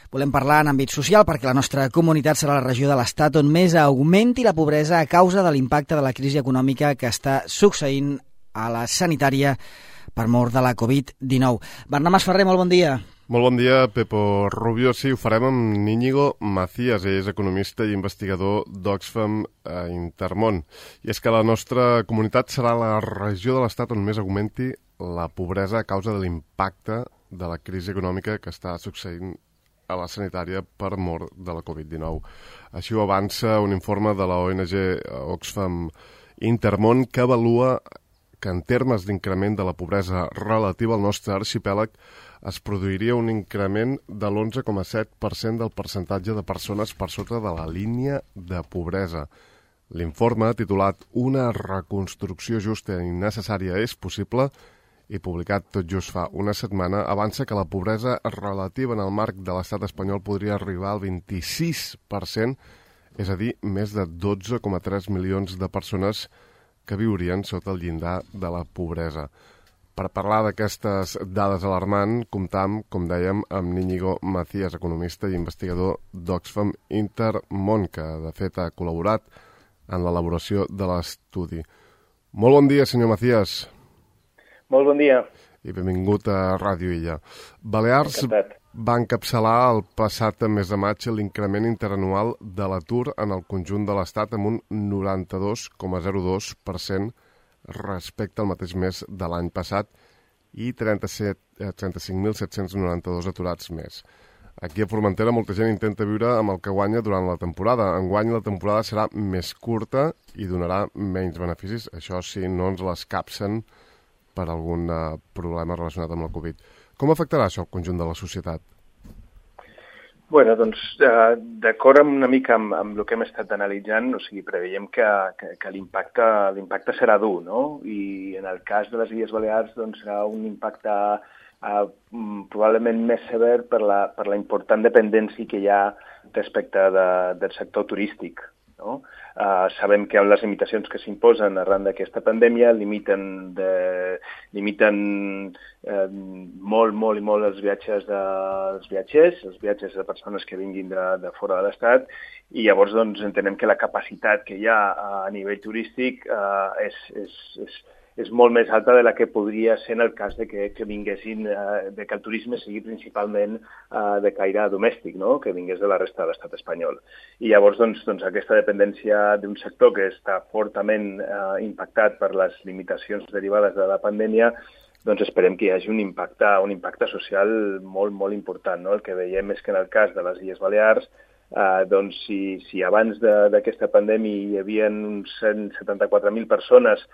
Volem parlar en àmbit social perquè la nostra comunitat serà la regió de l'Estat on més augmenti la pobresa a causa de l'impacte de la crisi econòmica que està succeint a la sanitària per mort de la Covid-19. Bernat Masferrer, molt bon dia. Molt bon dia, Pepo Rubio. Sí, ho farem amb Íñigo Macías, ell és economista i investigador d'Oxfam Intermón. I és que la nostra comunitat serà la regió de l'Estat on més augmenti la pobresa a causa de l'impacte de la crisi econòmica que està succeint a la sanitària per mort de la Covid-19. Així ho avança un informe de la ONG Oxfam Intermón que avalua que en termes d'increment de la pobresa relativa al nostre arxipèlag es produiria un increment de l'11,7% del percentatge de persones per sota de la línia de pobresa. L'informe, titulat Una reconstrucció justa i necessària és possible, i publicat tot just fa una setmana, avança que la pobresa relativa en el marc de l'estat espanyol podria arribar al 26%, és a dir, més de 12,3 milions de persones que viurien sota el llindar de la pobresa. Per parlar d'aquestes dades alarmants, comptam, com dèiem, amb Íñigo Macías, economista i investigador d'Oxfam Intermón, que de fet ha col·laborat en l'elaboració de l'estudi. Molt bon dia, senyor Macías. Molt bon dia. I benvingut a Ràdio Illa. Balears va encapçalar el passat mes de maig l'increment interanual de l'atur en el conjunt de l'Estat amb un 92,02% respecte al mateix mes de l'any passat i 35.792 aturats més. Aquí a Formentera molta gent intenta viure amb el que guanya durant la temporada. Enguany la temporada serà més curta i donarà menys beneficis. Això sí, no ens l'escapsen per algun problema relacionat amb la Covid. Com afectarà això al conjunt de la societat? Bueno, doncs, d'acord una mica amb el que hem estat analitzant, o sigui, preveiem que l'impacte serà dur, no? I en el cas de les Illes Balears, doncs, serà un impacte probablement més sever per la important dependència que hi ha respecte del sector turístic, no? Sabem que amb les limitacions que s'imposen arran d'aquesta pandèmia limiten molt els viatges dels viatgers, els viatges de persones que vinguin de fora de l'Estat, i llavors doncs, entenem que la capacitat que hi ha a nivell turístic és molt més alta de la que podria ser en el cas de que vinguessin, de que el turisme sigui principalment de caire domèstic, no? Que vingués de la resta de l'estat espanyol. I llavors doncs, aquesta dependència d'un sector que està fortament impactat per les limitacions derivades de la pandèmia, doncs esperem que hi hagi un impacte social molt important, no? El que veiem és que en el cas de les Illes Balears, doncs si abans d'aquesta pandèmia hi havia uns 174.000 persones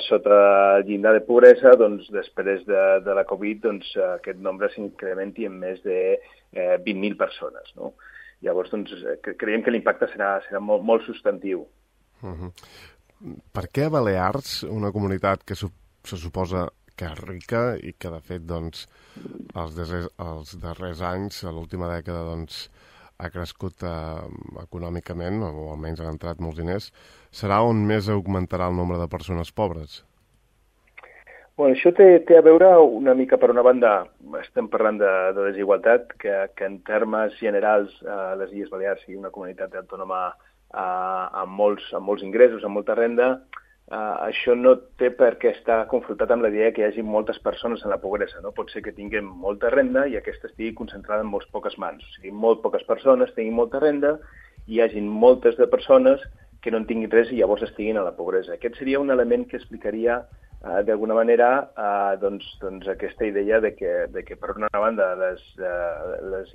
sota el llindar de pobresa, doncs després de la Covid doncs, aquest nombre s'incrementi en més de 20.000 persones, no? Llavors doncs, creiem que l'impacte serà molt substantiu. Per què a Balears, una comunitat que se suposa que és rica i que de fet doncs, els darrers anys, a l'última dècada, doncs, ha crescut econòmicament, o almenys han entrat molts diners, serà on més augmentarà el nombre de persones pobres? Bueno, això té a veure una mica, per una banda, estem parlant de desigualtat, que en termes generals les Illes Balears sigui una comunitat autònoma amb molts ingressos, amb molta renda. Això no té per què estar confrontat amb la idea que hi hagi moltes persones en la pobresa, no? Pot ser que tinguem molta renda i aquesta estigui concentrada en molt poques mans. O sigui, molt poques persones tinguin molta renda i hi hagi moltes de persones que no en tinguin res i llavors estiguin a la pobresa. Aquest seria un element que explicaria d'alguna manera doncs aquesta idea de que per una banda les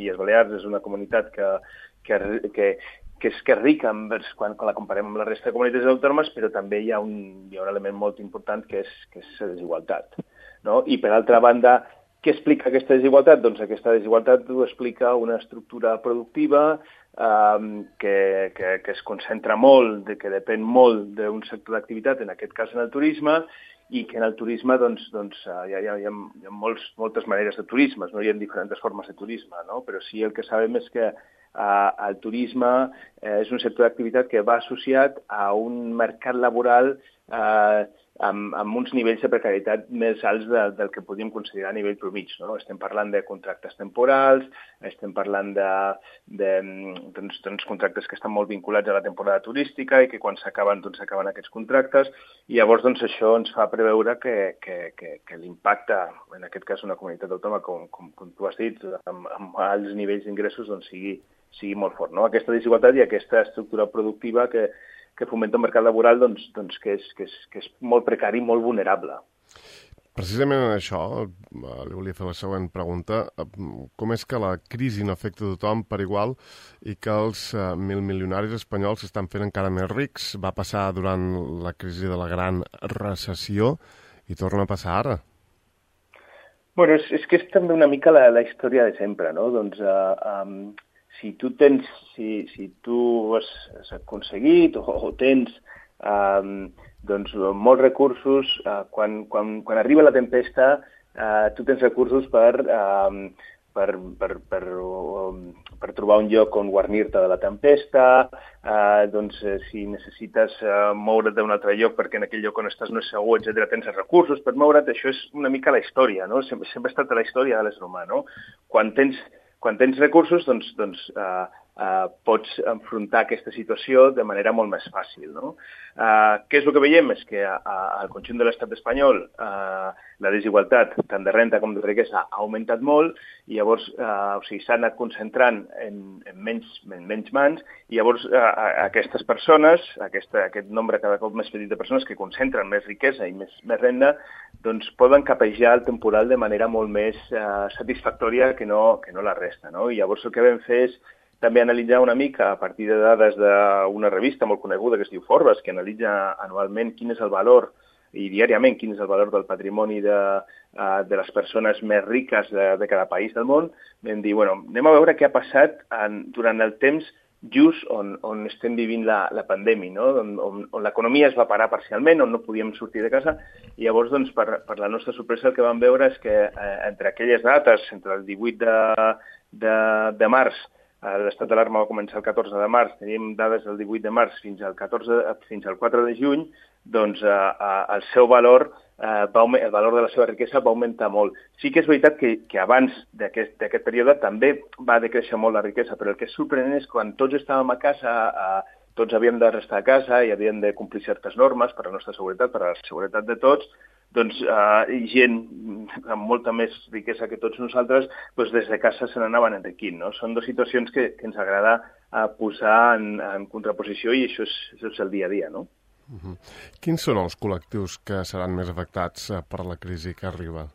Illes Balears és una comunitat que és rica quan la comparem amb la resta de comunitats autònomes, però també hi ha un element molt important que és la desigualtat, no? I per altra banda, què explica aquesta desigualtat? Doncs aquesta desigualtat ho explica una estructura productiva que es concentra molt, que depèn molt d'un sector d'activitat, en aquest cas en el turisme, i que en el turisme doncs, hi ha moltes maneres de turisme, no? Hi ha diferents formes de turisme, no? Però sí el que sabem és que el turisme és un sector d'activitat que va associat a un mercat laboral amb uns nivells de precarietat més alts del que podríem considerar a nivell promig, no? Estem parlant de contractes temporals, estem parlant de contractes que estan molt vinculats a la temporada turística i que quan s'acaben aquests contractes, i llavors això ens fa preveure que l'impacte, en aquest cas una comunitat autònoma, com tu has dit, amb alts nivells d'ingressos, sigui molt fort, no? Aquesta desigualtat i aquesta estructura productiva que fomenta un mercat laboral que és molt precari i molt vulnerable. Precisament en això, li volia fer la següent pregunta. Com és que la crisi no afecta tothom per igual i que els milionaris espanyols s'estan fent encara més rics? Va passar durant la crisi de la gran recessió i torna a passar ara. Bueno, és que és també una mica la història de sempre, no? Si tu has aconseguit o tens molts recursos, quan arriba la tempesta, tu tens recursos per trobar un lloc on guarnir-te de la tempesta, si necessites moure't d'un altre lloc perquè en aquell lloc on estàs no és segur, etc., tens els recursos per moure't. Això és una mica la història, no? Sempre ha estat la història de l'ésser humà, no? Quan tens recursos, pots enfrontar aquesta situació de manera molt més fàcil, no? Què és el que veiem? És que al conjunt de l'estat espanyol la desigualtat, tant de renta com de riquesa, ha augmentat molt i llavors s'ha anat concentrant en menys mans i llavors aquestes persones, aquest nombre cada cop més petit de persones que concentren més riquesa i més renda, poden capejar el temporal de manera molt més satisfactòria que no la resta, no? I llavors el que vam fer és també analitzar una mica a partir de dades d'una revista molt coneguda que es diu Forbes, que analitza anualment quin és el valor i diàriament quin és el valor del patrimoni de les persones més riques de cada país del món. Vam dir, anem a veure què ha passat durant el temps just on estem vivint la pandèmia, no? On l'economia es va parar parcialment, on no podíem sortir de casa, i llavors, per la nostra sorpresa, el que vam veure és que entre aquelles dates, entre el 18 de març, l'estat d'alarma va començar el 14 de març, teníem dades del 18 de març fins al 4 de juny, el seu valor, el valor de la seva riquesa va augmentar molt. Sí que és veritat que abans d'aquest període també va decréixer molt la riquesa, però el que és sorprenent és que quan tots estàvem a casa, tots havíem de restar a casa i havíem de complir certes normes per a la nostra seguretat, per a la seguretat de tots, gent amb molta més riquesa que tots nosaltres, des de casa se n'anaven enriquint, no? Són dues situacions que ens agrada posar en contraposició i això és el dia a dia, no? Quins són els col·lectius que seran més afectats per la crisi que arriba?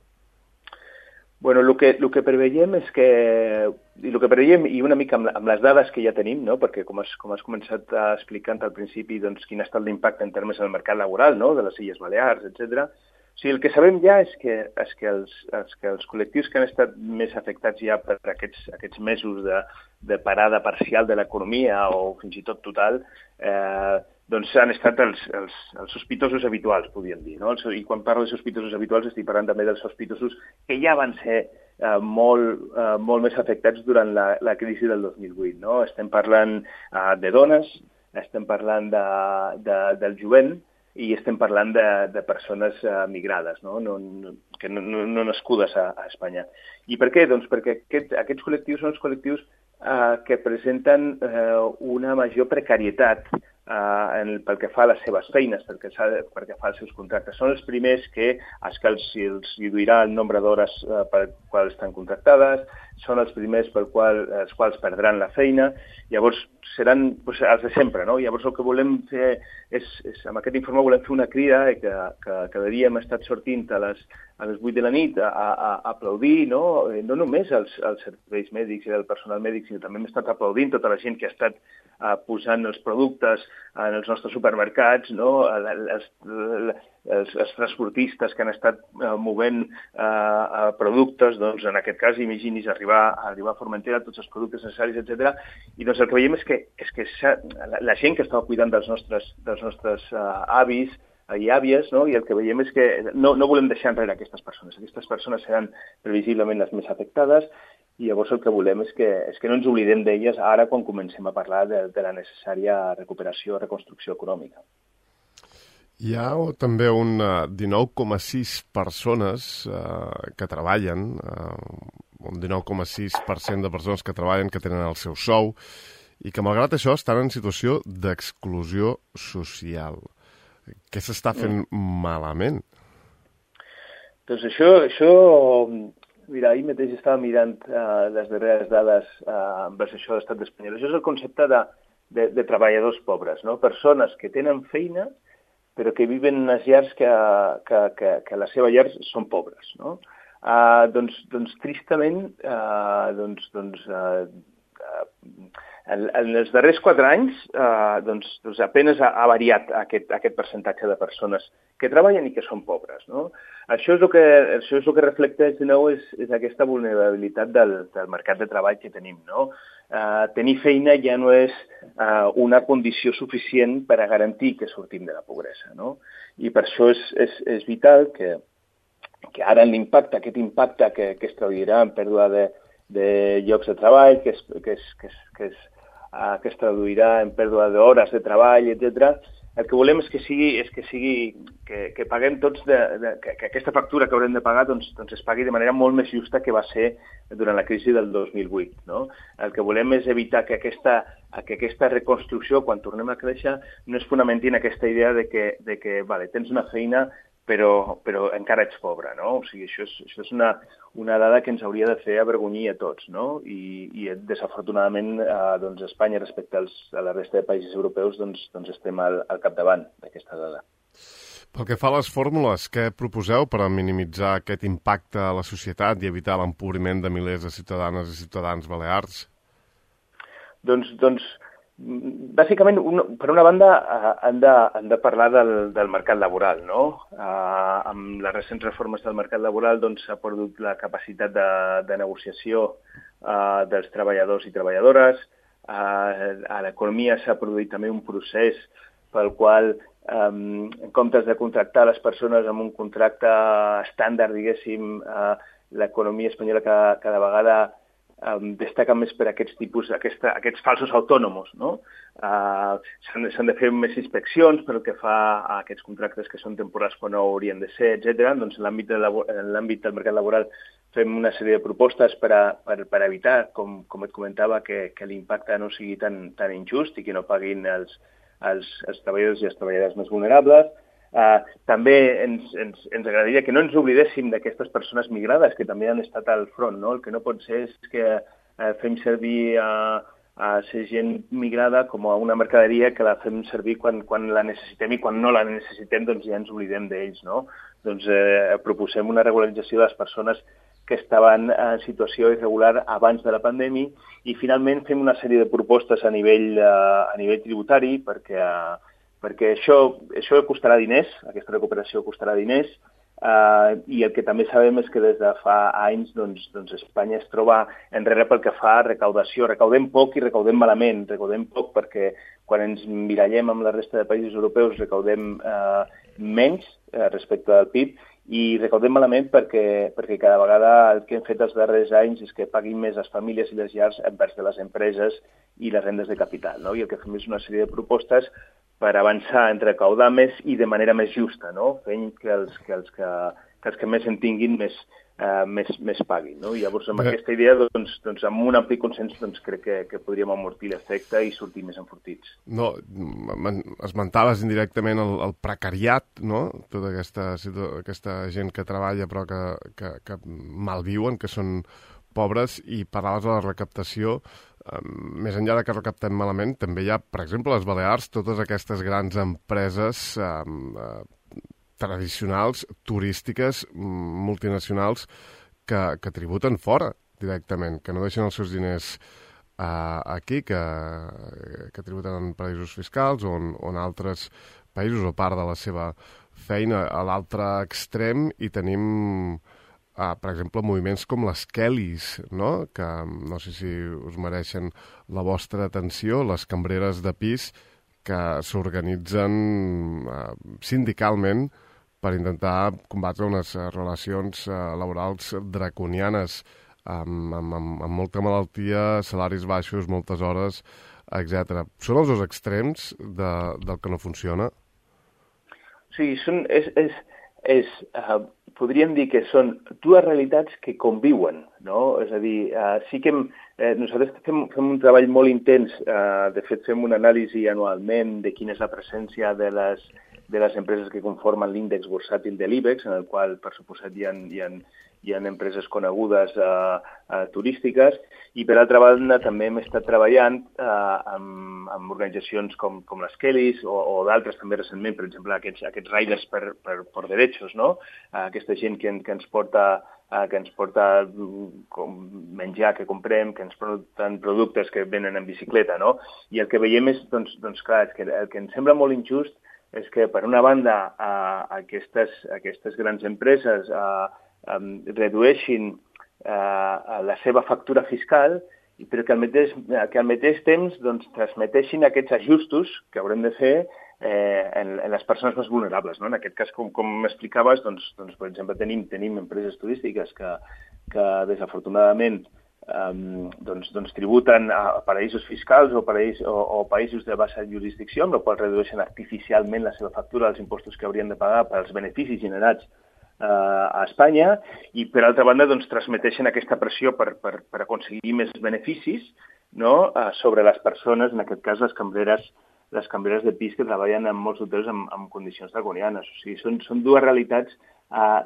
Bueno, el que preveiem és que, i una mica amb les dades que ja tenim, no? Perquè com has començat explicant al principi, quin ha estat l'impacte en termes del mercat laboral, no? De les Illes Balears, etc. O sigui, el que sabem ja és que els col·lectius que han estat més afectats ja per aquests mesos de parada parcial de l'economia o fins i tot total, han estat els sospitosos habituals, podríem dir, no? I quan parlo de sospitosos habituals estic parlant també dels sospitosos que ja van ser molt més afectats durant la crisi del 2008, no? Estem parlant de dones, estem parlant del jovent, i estem parlant de persones migrades, no nascudes a Espanya. I per què? Doncs perquè aquests col·lectius són els col·lectius que presenten una major precarietat pel que fa a les seves feines, pel que fa als seus contractes. Són els primers que els reduirà el nombre d'hores per quals estan contractades, són els primers els quals perdran la feina, llavors seran els de sempre, no? Llavors el que volem fer és amb aquest informe volem fer una crida que cada dia hem estat sortint a les 8 de la nit a aplaudir, no només als serveis mèdics i al personal mèdic, sinó també hem estat aplaudint tota la gent que ha estat posant els productes en els nostres supermercats, no? Els transportistes que han estat movent productes, en aquest cas, imagini's arribar a Formentera, tots els productes necessaris, etc. I el que veiem és que la gent que estava cuidant dels nostres avis i àvies, no? I el que veiem és que no volem deixar enrere aquestes persones. Aquestes persones seran previsiblement les més afectades i llavors el que volem és que no ens oblidem d'elles ara quan comencem a parlar de la necessària recuperació, reconstrucció econòmica. Hi ha també un 19,6 persones que treballen, un 19,6% de persones que treballen, que tenen el seu sou, i que malgrat això estan en situació d'exclusió social. Què s'està fent malament? Doncs això, mira, ahir mateix estava mirant les darreres dades envers això de l'estat espanyol. Això és el concepte de treballadors pobres, no? Persones que tenen feina però que viven en unes llars que la seva llar són pobres, no? Doncs tristament, en els darrers 4 anys, apenas ha variat aquest percentatge de persones que treballen i que són pobres, no? Això és el que reflecteix de nou és aquesta vulnerabilitat del mercat de treball que tenim, no? Tenir feina ja no és una condició suficient per a garantir que sortim de la pobresa, no? I per això és vital que ara aquest impacte que es traduirà en pèrdua de llocs de treball, que es traduirà en pèrdua d'hores de treball, etc. El que volem és que paguem tots, que aquesta factura que haurem de pagar doncs es pagui de manera molt més justa que va ser durant la crisi del 2008. No? El que volem és evitar que aquesta reconstrucció, quan tornem a créixer, no es fonamenti en aquesta idea de que vale, tens una feina però encara ets pobre, no? O sigui, això és una dada que ens hauria de fer avergonyir a tots, no? I desafortunadament, Espanya, respecte a la resta de països europeus, doncs estem al capdavant d'aquesta dada. Pel que fa a les fórmules, què proposeu per a minimitzar aquest impacte a la societat i evitar l'empobriment de milers de ciutadanes i ciutadans balears? Bàsicament, per una banda, han de parlar del mercat laboral, no? Amb les recents reformes del mercat laboral s'ha perdut la capacitat de negociació dels treballadors i treballadores. A l'economia s'ha produït també un procés pel qual, en comptes de contractar les persones amb un contracte estàndard, diguéssim, l'economia espanyola cada vegada destaca més per aquests falsos autònoms, no? S'han de fer més inspeccions pel que fa a aquests contractes que són temporals quan no haurien de ser, etc. Doncs en l'àmbit del mercat laboral fem una sèrie de propostes per evitar, com et comentava, que l'impacte no sigui tan injust i que no paguin els treballadors i les treballadores més vulnerables. També ens agradaria que no ens oblidéssim d'aquestes persones migrades que també han estat al front, no? El que no pot ser és que fem servir a ser gent migrada com a una mercaderia que la fem servir quan la necessitem i quan no la necessitem doncs ja ens oblidem d'ells, no? Doncs proposem una regularització de les persones que estaven en situació irregular abans de la pandèmia i finalment fem una sèrie de propostes a nivell tributari perquè això costarà diners, aquesta recuperació costarà diners, i el que també sabem és que des de fa anys Espanya es troba enrere pel que fa a recaudació. Recaudem poc i recaudem malament. Recaudem poc perquè quan ens mirallem amb la resta de països europeus recaudem menys respecte al PIB i recaudem malament perquè cada vegada el que hem fet els darrers anys és que paguin més les famílies i les llars envers de les empreses i les rendes de capital, no? I el que fem és una sèrie de propostes per avançar en recaudar més i de manera més justa, no? Fent que els que més en tinguin més paguin, no? I llavors amb aquesta idea, amb un ampli consens, crec que podríem amortir l'efecte i sortir més enfortits. No, esmentaves indirectament el precariat, no? Tota aquesta gent que treballa però que malviuen, que són pobres, i parlaves de la recaptació. Més enllà que recaptem malament, també hi ha, per exemple, a les Balears, totes aquestes grans empreses tradicionals, turístiques, multinacionals, que tributen fora directament, que no deixen els seus diners aquí, que tributen en paraïsos fiscals o en altres països o part de la seva feina. A l'altre extrem hi tenim, per exemple, moviments com les Kellys, no? Que no sé si us mereixen la vostra atenció, les cambreres de pis que s'organitzen sindicalment per intentar combatre unes relacions laborals draconianes amb molta malaltia, salaris baixos, moltes hores, etc. Són els dos extrems del que no funciona? Sí, podríem dir que són dues realitats que conviuen, no? És a dir, sí que nosaltres fem un treball molt intens, de fet fem una anàlisi anualment de quina és la presència de les empreses que conformen l'índex bursàtil de l'IBEX, en el qual, per suposat, hi ha empreses conegudes turístiques, i per altra banda també hem estat treballant amb organitzacions com les Kellys o d'altres també recentment, per exemple aquests Riders per Derechos, no? Aquesta gent que ens porta menjar que comprem, que ens porten productes que venen en bicicleta, no? I el que veiem és, doncs clar, el que ens sembla molt injust és que, per una banda, aquestes grans empreses redueixin la seva factura fiscal, però que al mateix temps transmeteixin aquests ajustos que haurem de fer en les persones més vulnerables, no? En aquest cas, com m'explicaves, per exemple, tenim empreses turístiques que desafortunadament tributen a paraïsos fiscals o països de baixa jurisdicció, amb la qual redueixen artificialment la seva factura dels impostos que haurien de pagar pels beneficis generats a Espanya, i per altra banda transmeteixen aquesta pressió per aconseguir més beneficis, no? Sobre les persones, en aquest cas les cambreres de pis que treballen en molts hotels en condicions draconianes. O sigui, són dues realitats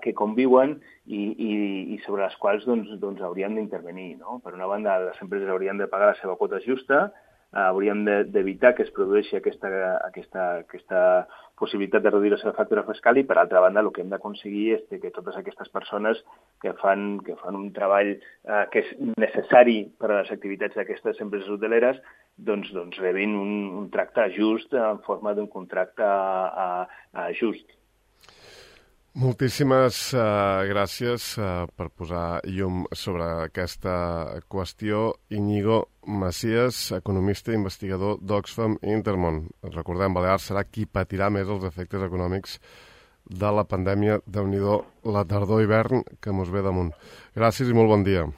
que conviuen i sobre les quals hauríem d'intervenir, no? Per una banda, les empreses haurien de pagar la seva quota justa, hauríem d'evitar que es produeixi aquesta possibilitat de reduir la seva factura fiscal, i per altra banda el que hem d'aconseguir és que totes aquestes persones que fan un treball que és necessari per a les activitats d'aquestes empreses hoteleres rebin un tracte just en forma d'un contracte just. Moltíssimes gràcies per posar llum sobre aquesta qüestió. Íñigo Macías, economista i investigador d'Oxfam i Intermón. Recordem, Balears serà qui patirà més els efectes econòmics de la pandèmia. Déu-n'hi-do la tardor-hivern que mos ve damunt. Gràcies i molt bon dia.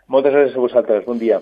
Moltes gràcies a vosaltres. Bon dia.